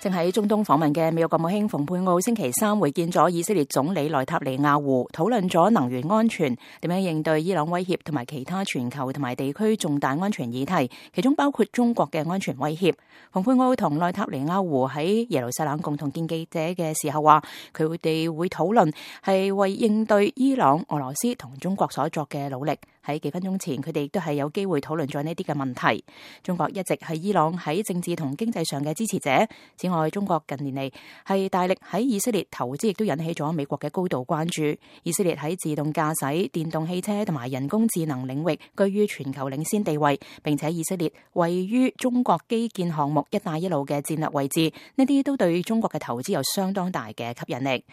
正喺中東訪問嘅美國國務卿蓬佩奧星期三會見咗以色列總理內塔尼亞胡，討論咗能源安全、點樣應對伊朗威脅同埋其他全球同埋地區重大安全議題，其中包括中國嘅安全威脅。蓬佩奧同內塔尼亞胡喺耶路撒冷共同見記者嘅時候話，佢哋會討論係為應對伊朗、俄羅斯同中國所作嘅努力。喺幾分鐘前，佢哋亦都係有機會討論咗呢啲嘅問題。中國一直係伊朗喺政治同經濟上嘅支持者。此外，中國近年嚟係大力喺以色列投資，亦都引起咗美國嘅高度關注。以色列喺自動駕駛、電動汽車同埋人工智能領域居於全球領先地位，並且以色列位於中國基建項目一帶一路嘅戰略位置，呢啲都對中國嘅投資有相當大嘅吸引力。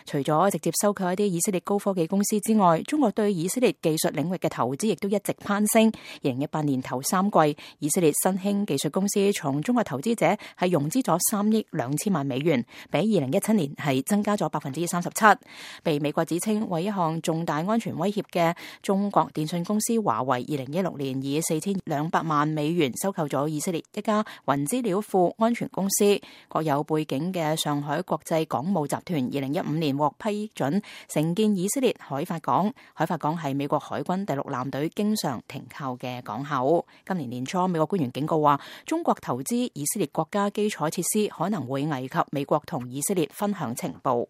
除咗直接收購一啲以色列高科技公司之外，中國對以色列技術領域嘅投資亦都一直攀升。2018年頭3季，以色列新興技術公司從中國投資者係融資咗3億2千萬美元，比2017年係增加咗37%。被美國指稱為一項重大安全威脅嘅中國電信公司華為，2016年以4200萬美元收購咗以色列一家雲資料庫安全公司。國有背景嘅上海國際港務集團2015年獲批准承建以色列海法港。海法港係美國海軍第6艦隊經常停靠嘅港口。今年年初，美國官員警告話，中國投資以色列國家基礎設施可能會危及美國同以色列分享情報。